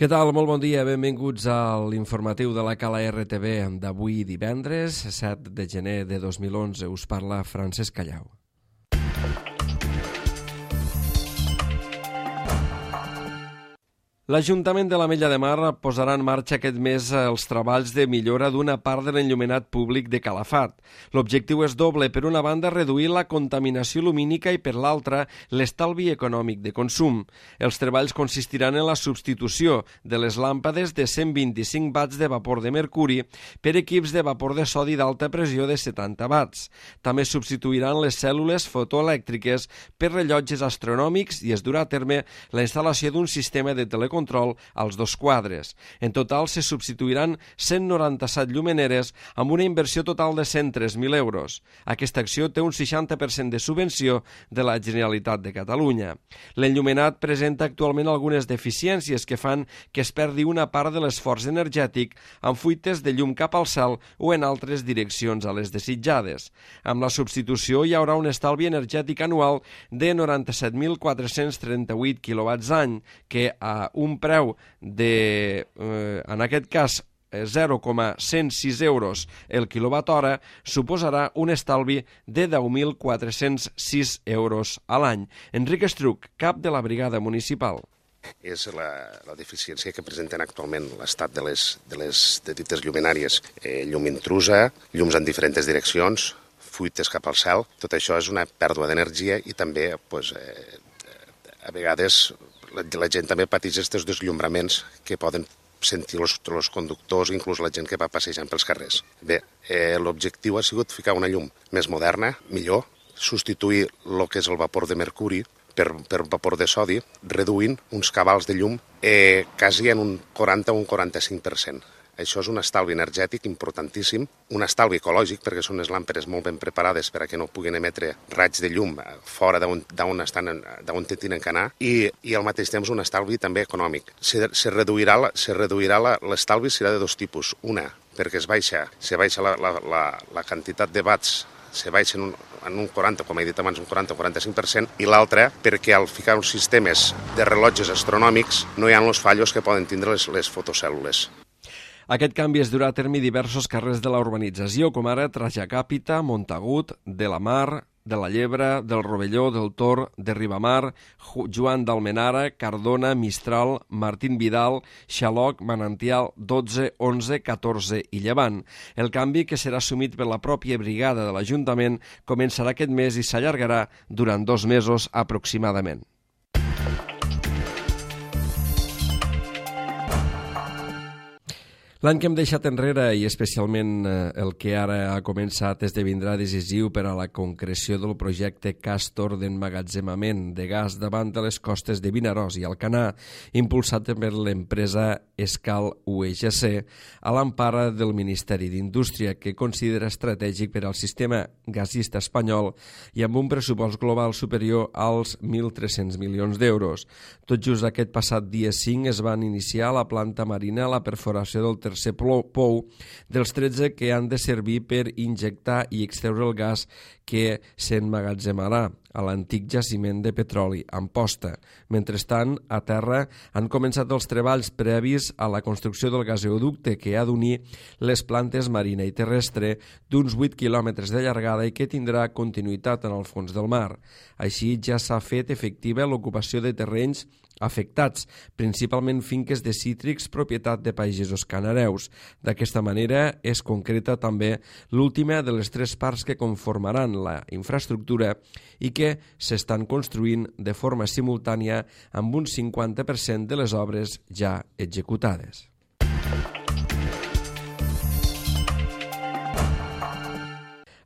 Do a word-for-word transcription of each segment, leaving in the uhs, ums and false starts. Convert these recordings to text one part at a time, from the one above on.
Què tal? Molt bon dia. Benvinguts a l'informatiu de la Cala R T V d'avui divendres, set de gener de dos mil onze. Us parla Francesc Callau. L'Ajuntament de l'Ametlla de Mar posarà en marxa aquest mes els treballs de millora d'una part de l'enllumenat públic de Calafat. L'objectiu és doble. Per una banda, reduir la contaminació lumínica i per l'altra, l'estalvi econòmic de consum. Els treballs consistiran en la substitució de les làmpades de cent vint-i-cinc watts de vapor de mercuri per equips de vapor de sodi d'alta pressió de setanta watts. També substituiran les cèl·lules fotoelèctriques per rellotges astronòmics i es durà a terme la instal·lació d'un sistema de telecontrol control als dos quadres. En total se substituiran cent noranta-set llumeneres amb una inversió total de cent tres mil euros. Aquesta acció té un seixanta per cent de subvenció de la Generalitat de Catalunya. L'enllumenat presenta actualment algunes deficiències que fan que es perdi una part de l'esforç energètic amb fuites de llum cap al cel o en altres direccions a les desitjades. Amb la substitució hi haurà un estalvi energètic anual de noranta-set mil quatre-cents trenta-vuit quilowatts any, que a un preu de, eh, en aquest cas, zero coma cent sis euros el quilowatt hora, suposarà un estalvi de deu mil quatre-cents sis euros a l'any. Enric Estruc, cap de la brigada municipal. És la, la deficiència que presenten actualment l'estat de les, de les de dites llumenàries. Eh, llum intrusa, llums en diferents direccions, fuites cap al cel. Tot això és una pèrdua d'energia i també, pues, eh, a vegades, la, la gent també pateix aquests desllumraments que poden sentir els, els conductors, inclús la gent que va passejant pels carrers. Bé, eh, l'objectiu ha sigut ficar una llum més moderna, millor, substituir el que és el vapor de mercuri per, per vapor de sodi, reduint uns cabals de llum eh, quasi en un quaranta o un quaranta-cinc per cent. Això és un estalvi energètic importantíssim, un estalvi ecològic, perquè són unes làmperes molt ben preparades per a que no puguin emetre raigs de llum fora d'on estan, d'on tenen que anar, i, i al mateix temps un estalvi també econòmic. Se, se reduirà, se reduirà l'estalvi serà de dos tipus. Una, perquè es baixa, se baixa la, la, la, la quantitat de watts, se baixa en un, en un quaranta, com he dit abans, un quaranta o quaranta-cinc per cent, i l'altra, perquè al ficar uns sistemes de rellotges astronòmics no hi ha els fallos que poden tindre les, les fotocèl·lules. Aquest canvi es durà a terme diversos carrers de la urbanització, com ara Trajacàpita, Montagut, de la Mar, de la Llebre, del Rovelló, del Tor, de Ribamar, Joan d'Almenara, Cardona, Mistral, Martín Vidal, Xaloc, Manantial, dotze, onze, catorze i Llevant. El canvi, que serà assumit per la pròpia brigada de l'Ajuntament, començarà aquest mes i s'allargarà durant dos mesos aproximadament. L'any que hem deixat enrere, i especialment el que ara ha començat, esdevindrà decisiu per a la concreció del projecte Castor d'emmagatzemament de gas davant de les costes de Vinaròs i Alcanar, impulsat per l'empresa Escal U E G C, a l'empara del Ministeri d'Indústria, que considera estratègic per al sistema gasista espanyol i amb un pressupost global superior als mil tres-cents milions d'euros. Tot just aquest passat dia cinc es van iniciar a la planta marina la perforació del tercer pou dels tretze que han de servir per injectar i extreure el gas que s'emmagatzemarà a l'antic jaciment de petroli, Amposta. Mentrestant, a terra han començat els treballs previs a la construcció del gasoducte que ha d'unir les plantes marina i terrestre d'uns vuit quilòmetres de llargada i que tindrà continuïtat en el fons del mar. Així ja s'ha fet efectiva l'ocupació de terrenys afectats, principalment finques de cítrics propietat de pagesos canareus. D'aquesta manera es concreta també l'última de les tres parts que conformaran la infraestructura i que s'estan construint de forma simultània amb un cinquanta per cent de les obres ja executades.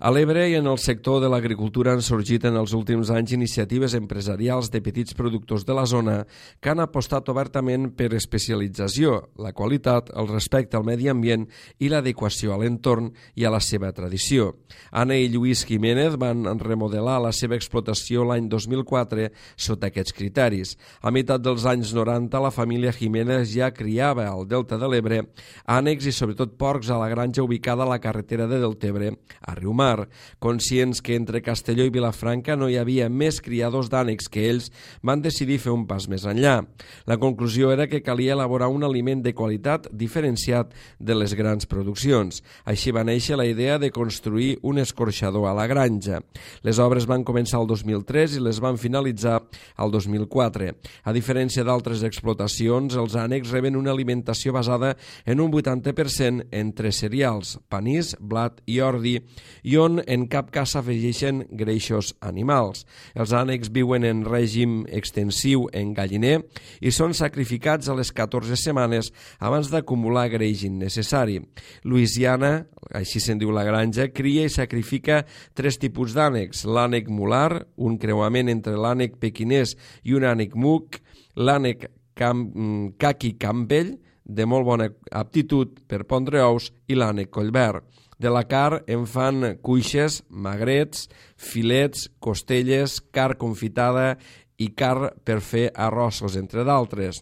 A l'Ebre i en el sector de l'agricultura han sorgit en els últims anys iniciatives empresarials de petits productors de la zona que han apostat obertament per especialització, la qualitat, el respecte al medi ambient i l'adequació a l'entorn i a la seva tradició. Anna i Lluís Jiménez van remodelar la seva explotació l'any dos mil quatre sota aquests criteris. A meitat dels anys noranta, la família Jiménez ja criava al Delta de l'Ebre ànecs i sobretot porcs a la granja ubicada a la carretera de Deltebre a Riumar. Guiar. Conscients que entre Castelló i Vilafranca no hi havia més criadors d'ànecs que ells, van decidir fer un pas més enllà. La conclusió era que calia elaborar un aliment de qualitat diferenciat de les grans produccions. Així va néixer la idea de construir un escorxador a la granja. Les obres van començar el dos mil tres i les van finalitzar el dos mil quatre. A diferència d'altres explotacions, els ànecs reben una alimentació basada en un vuitanta per cent entre cereals, panís, blat i ordi, i on en cap cas s'afegeixen greixos animals. Els ànecs viuen en règim extensiu en galliner i són sacrificats a les catorze setmanes abans d'acumular greix innecessari. Louisiana, així se'n diu la granja, cria i sacrifica tres tipus d'ànecs: l'ànec mular, un creuament entre l'ànec pequinès i un ànec muc, l'ànec caqui Campbell, de molt bona aptitud per pondre ous, i l'ànec collverd. De la car en fan cuixes, magrets, filets, costelles, car confitada i car per fer arrossos, entre d'altres.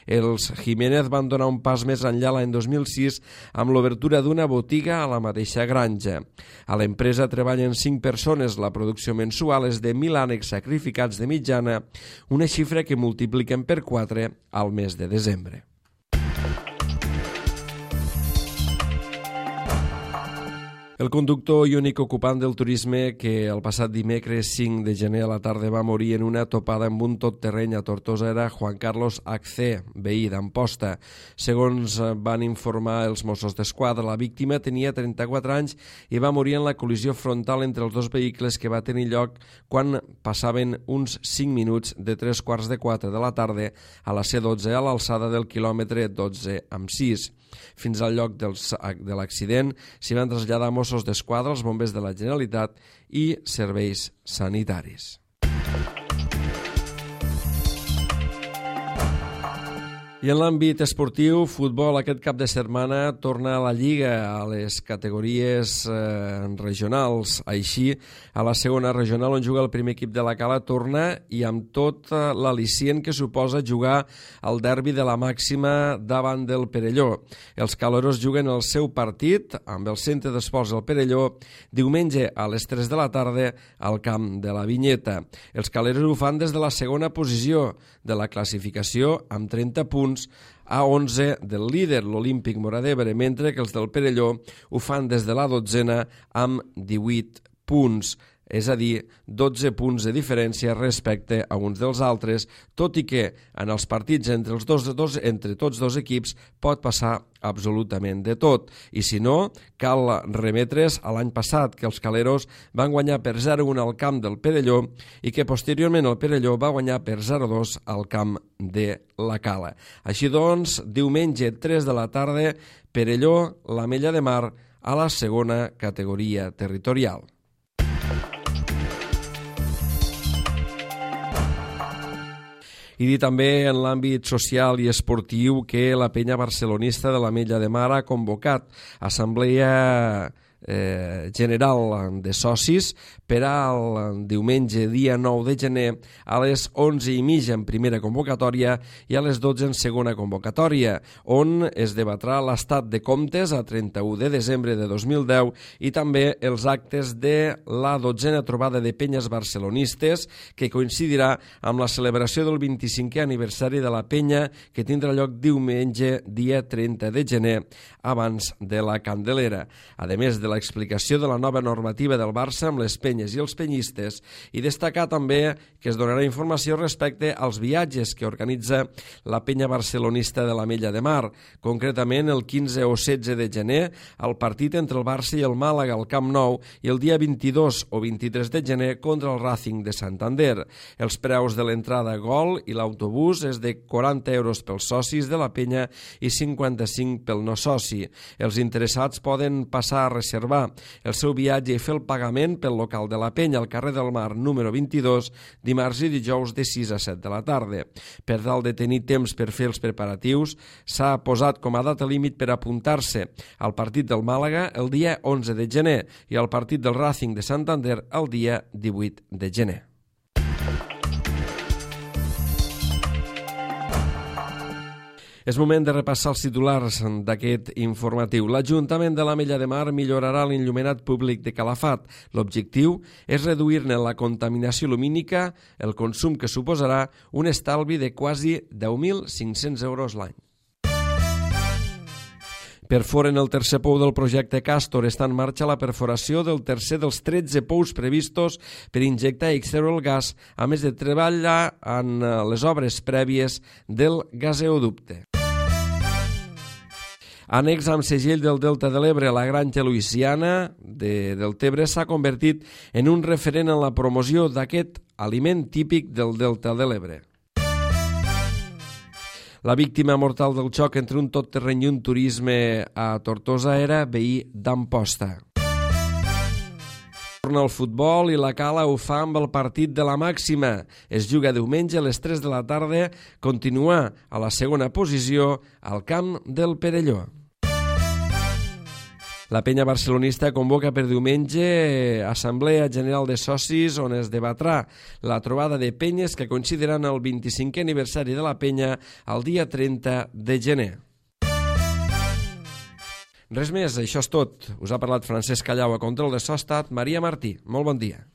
Els Jiménez van donar un pas més enllà l'any dos mil sis amb l'obertura d'una botiga a la mateixa granja. A l'empresa treballen cinc persones, la producció mensual és de mil ànecs sacrificats de mitjana, una xifra que multipliquen per quatre al mes de desembre. El conductor i únic ocupant del turisme que el passat dimecres cinc de gener a la tarda va morir en una topada amb un tot-terreny a Tortosa era Juan Carlos Accé, veí d'Amposta. Segons van informar els Mossos d'Esquadra, la víctima tenia trenta-quatre anys i va morir en la col·lisió frontal entre els dos vehicles que va tenir lloc quan passaven uns cinc minuts de tres quarts de quatre de la tarda a la C dotze a l'alçada del quilòmetre dotze amb sis. Fins al lloc dels, de l'accident s'hi van traslladar Mossos d'Esquadra, els bombers de la Generalitat i serveis sanitaris. I en l'àmbit esportiu, futbol, aquest cap de setmana torna a la Lliga a les categories eh, regionals. Així, a la segona regional on juga el primer equip de la Cala torna i amb tot eh, l'al·licient que suposa jugar al derbi de la màxima davant del Perelló. Els caleros juguen el seu partit amb el Centre d'Esports del Perelló diumenge a les tres de la tarda al camp de la Vinyeta. Els caleros ho fan des de la segona posició de la classificació amb trenta punts a onze del líder, l'Olímpic Móra d'Ebre, mentre que els del Perelló ho fan des de la dotzena amb divuit punts, és a dir, dotze punts de diferència respecte a uns dels altres, tot i que en els partits entre, els dos, dos, entre tots dos equips pot passar absolutament de tot. I si no, cal remetre's a l'any passat, que els caleros van guanyar per zero a un al camp del Perelló i que posteriorment el Perelló va guanyar per zero a dos al camp de la Cala. Així doncs, diumenge tres de la tarda, Perelló, l'Ametlla de Mar, a la segona categoria territorial. I dir també en l'àmbit social i esportiu que la penya barcelonista de l'Ametlla de Mar ha convocat assemblea eh, general de socis per al diumenge dia nou de gener a les onze i mitja en primera convocatòria i a les dotze en segona convocatòria, on es debatrà l'estat de comptes a trenta-u de desembre de dos mil deu i també els actes de la dotzena trobada de penyes barcelonistes que coincidirà amb la celebració del vint-i-cinquè aniversari de la penya que tindrà lloc diumenge dia trenta de gener abans de la Candelera. A més de l'explicació de la nova normativa del Barça amb les penyes i els penyistes i destacar també que es donarà informació respecte als viatges que organitza la penya barcelonista de l'Ametlla de Mar, concretament el quinze o setze de gener el partit entre el Barça i el Màlaga al Camp Nou i el dia vint-i-dos o vint-i-tres de gener contra el Racing de Santander. Els preus de l'entrada gol i l'autobús és de quaranta euros pels socis de la penya i cinquanta-cinc pel no soci. Els interessats poden passar a reservar el seu viatge i fer el pagament pel local de la penya al carrer del Mar número vint-i-dos, dimarts i dijous de sis a set de la tarda. Per tal de tenir temps per fer els preparatius, s'ha posat com a data límit per apuntar-se al partit del Màlaga el dia onze de gener i al partit del Racing de Santander el dia divuit de gener. És moment de repassar els titulars d'aquest informatiu. L'Ajuntament de l'Ametlla de Mar millorarà l'enllumenat públic de Calafat. L'objectiu és reduir-ne la contaminació lumínica, el consum que suposarà un estalvi de quasi deu mil cinc-cents euros l'any. Perforen el tercer pou del projecte Castor. Està en marxa la perforació del tercer dels tretze pous previstos per injectar i extreure el gas, a més de treballar en les obres prèvies del gaseoducte. Annex amb segell del Delta de l'Ebre, la Granja Luisiana de Deltebre s'ha convertit en un referent en la promoció d'aquest aliment típic del Delta de l'Ebre. La víctima mortal del xoc entre un tot-terreny i un turisme a Tortosa era veí d'Amposta. Torna al futbol i la Cala ho fa amb el partit de la màxima. Es juga diumenge a les tres de la tarda, continua a la segona posició al camp del Perelló. La penya barcelonista convoca per diumenge Assemblea General de Socis on es debatrà la trobada de penyes que coincidiran el vint-i-cinquè aniversari de la penya el dia trenta de gener. Res més, això és tot. Us ha parlat Francesc Callau, a control de so ha estat Maria Martí. Molt bon dia.